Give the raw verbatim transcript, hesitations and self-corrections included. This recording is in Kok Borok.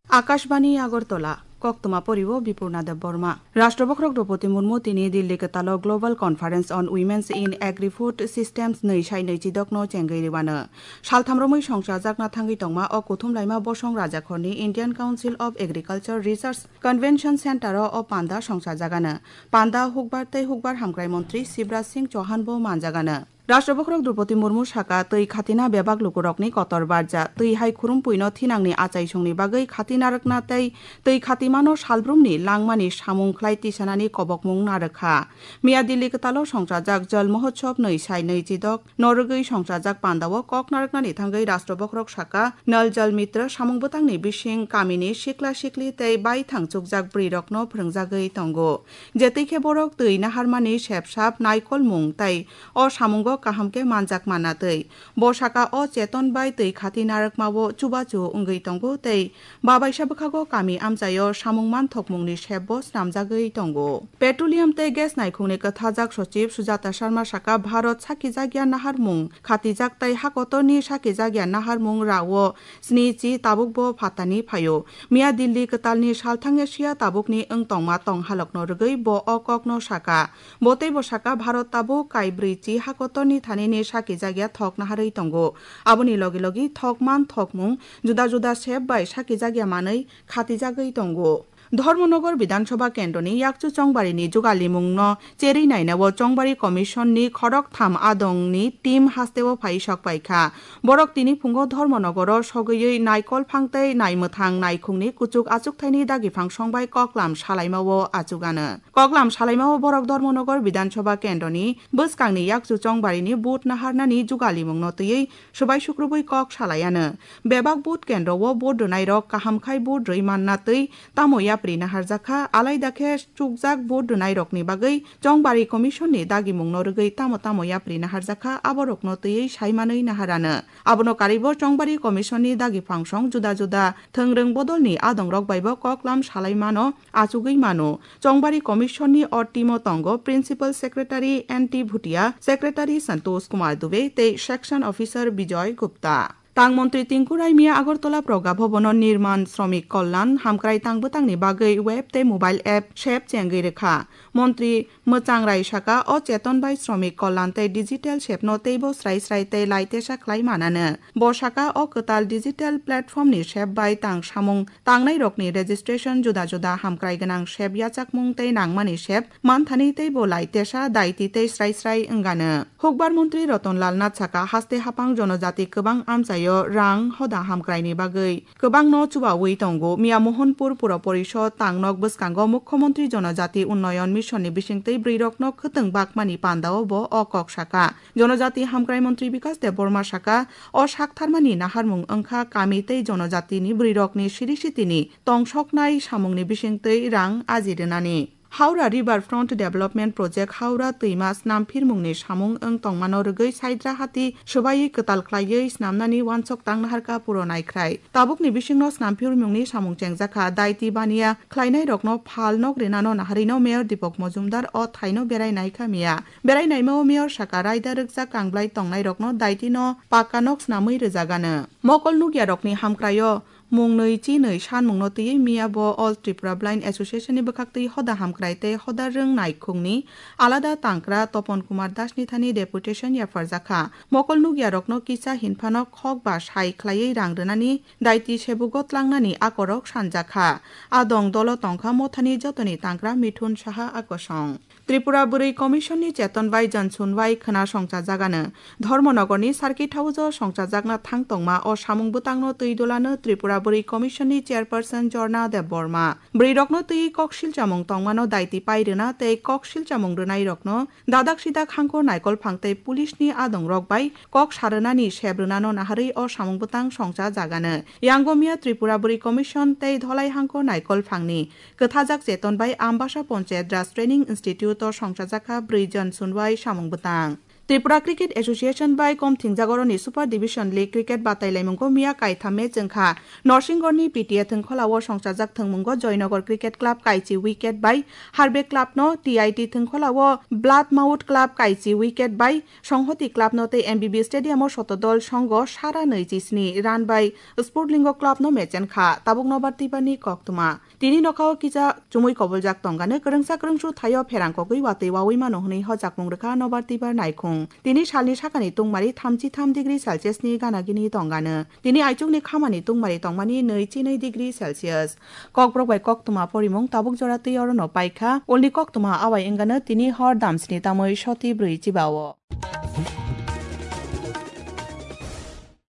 Akashbani Agartala, koktwma poriwo Bipurna Debbarma. Rashtra Bokhorok Droupadi Murmu tini Delhi kwtalo Global Conference on Women's in Agri-Food Systems nwi sai nwi chidokno chengwi rwano. Saltham romwi songchajakna thangwi tongma o kuthum laima bosong rajakhorni Indian Council of Agriculture Research Convention Center-o o panda songchajagano. Panda hukbar tei hukbar hamkrai montri Shivraj Singh Chauhan bo manjagano. Rashtra Bokhorok Droupadi Murmu saka, twi khatina bebak lukurokni kotor barja. Twi hai khurumpuino thinangni achaisongni bagwi khati narwkna tei twi khatimano salbrumni langmani samung khlai tisanani kobokmung narwkha. Miya Delhi kwtalo songchajak Jal Mahotsav nwi sai nwi chidok norwgwi songchajak pandao kok narwknani thangwi Rashtra Bokhorok saka, Nal Jal Mitra samung bwtangni bising kamini sikla sikli tei baithang chukjak bwrwirokno phwrwngjagwi tongo. Jetwi khe borok twi naharmani sepsap naikolmung tei o samungo kaham khe manjak manna twi. Bo saka o cheton bai twi khati narwkmao chubachu wngwi tongo tei babaisa bwkhago kami amchaio samung manthokmungni sepbo snamjagwi tongo. Petroleum tei gas naikhungni kwthajak sochib Sujata Sharma saka, Bharat sakijakya naharmung khatijak tei hakotorni sakijakya naharmung rao sni chi tabukbo phatani phaio. Miya Delhi kwtalni salthang Asia tabukni wng tongma tonghalokno rwgwi bo o kokno saka. Bo teibo saka, Bharat tabuk kaibrwi chi hakotorni thanini sakijakya thok naharwi tongo. Aboni logi logi thok man thokmung juda juda sep bai sakijakya manwi khatijagwi tongo. Dharmanagar Bidhan Sabha kendroni yakchu Chongbarini jugalimungno cherwi nainao Chongbari Commission ni khoroktham adongni team hasteo phai sok paikha. Borok tini phungo Dharmanagaro sogwiwi naikol phang tei naimwthang naikhungni kuchuk achukthaini dagiphang songbai koklam salaimao achugano. Koklam salaimao borok Dharmanagar Bidhan Sabha kendroni bwskangni yakchu Chongbarini vote naharnani jugalimungno twiwi swbai sukrubwi kok salaiano. Bebak vote kendro o vote rwnairok kaham khai vote rwi manna twi tamo yapri naharjakha, alaida khe chukjak vote rwnairokni bagwi Chongbari Commission ni dagimungno rwgwi tamo tamo yapri naharjakha, aborokno twiwi saimanwi naharano. Abono karwibo Chongbari Commission ni dagi phangsong juda juda thwngrwng bodolni adongrok baibo koklam salaimano achugwi mano. Chongbari Commission ni o team o tongo Principal Secretary N T Bhutia, Secretary Santosh Kumar Dubey tei Section Officer Bijoy Gupta. Tang montri Tinku Rai miya Agartala Progabhabono Nirman Shramik Kalyan hamkrai tang bwtangni bagwi web tei mobile app sep chengwi rwkha. Montri Mwchang Rai saka, o cheton bai Shramik Kalyan tei digital sepno teibo srai srai tei laitesa khlai manano. Bo saka, o kwtal digital platform ni sep bai tang samung tangnairokni registration, juda juda hamkrai gwnang sep yachakmung tei nangmani sep manthani teibo laitesa daiti tei srai srai wngano. Hukbar montri Ratan Lal Nath saka, haste hapang jonojati kwbang amchaio rang hoda hamkraini bagwi kwbangno chubawi tongo. Miya Mohanpur Pura Porishod tangnok bwskango Mukhyamantri Jonojati Unnayan Mission ni bisingtwi bwrwirokno khwtwng bakmani pandao bo o kok saka. Jonojati hamkrai montri Bikas Debbarma saka, o saktharmani naharmung wngkha kami tei jonojatini bwrwirokni siri sitini tongsoknai samungni bisingtwi rang aji rwnani. Howrah River Front Development Project Howrah twima snamphirmungni samung wng tongmano rwgwi Saidrahati swbaiwi kwtal khlaiwi snamnani uansuk tang naharkha puro naikhrai. Tabukni bisingno snamphirmungni samung chengjakha, daiti baniya khlainairokno phal nok rinano naharwino Mayor Deepak Majumdar o thaino berai naikha miya. Berai naimao Mayor saka, raida rwkjak kangblai tongnairokno daitino pakka nok snamwi rwjagano. Mokol nukyarokni hamkraio mung nwi chi nwi sanmungno twiwi miya bo All Tripura Blind Association ni bwkhaktwi hoda hamkrai tei hoda rwng naikhungni alada tangkra Topon Kumar Das ni thani deputation yapharjakha. Mokol nukyarokno kisa hinphano khok ba sai khlaiwi rang rwnani daiti sebugo tlangnani akorok sanjakha. A dong dolo tongkha mothani jotoni tangkra Mithun Saha akosong. Tripura Bwrwi Commission ni cheton bai Johnson bai khwna songchajagano. Dharmanagar ni Circuit House o songchajakna thang tongma o samung bwtangno twi dulano Tripura Bwrwi Commission ni Chairperson Jorna Debbarma. Bwrwirokno twi kok silchamung tongmano daiti pai rwna tei kok silchamung rwnairokno dadak sidak hangkor naikol phang tei police ni adongrok bai kok sarwnani sep rwnano naharwi o samung bwtang songchajagano. Yango miya Tripura Bwrwi Commission tei Dholai hangkor naikol phangni kwthajak cheton bai Ambasa Panchayat Raj Training Institute o songchajakha brwi jon sunwai samung bwtang. Tripura Cricket Association bai kom thingjak oroni Super Division League cricket batailaimungo miya kaitham match wngkha. Norsingorni P T A thwngkholao songchajak thwngmungo Joynagar Cricket Club kaichi wicket bai Harbe Club no, T I T thwngkholao Bloodmouth Club kaichi wicket bai Songhoti Club no tei M B B Stadium o Sotodol Songho sara nwi chisni run bai Spurtlingo Club no mechenkha. Tabuk nobar twibani koktwma. Tini nokhao kisa chumui koboljak tongano kwrwngsa kwrwngsu thaio pherang kogwi watwi wawi mano hwnwi hojakmung rwkha nobar twibar naikhung. Tini salni sakani tungmari thamchi tham degree Celsius ni gana gini tongano. Tini aichukni khamani tungmari tongmani nwi chi nwi degree Celsius. Kokborok bai koktwma porimung tabuk jora twi orono paikha. Ulni koktwma awai wngano tini hor damsni tamwi soti brwi chibao.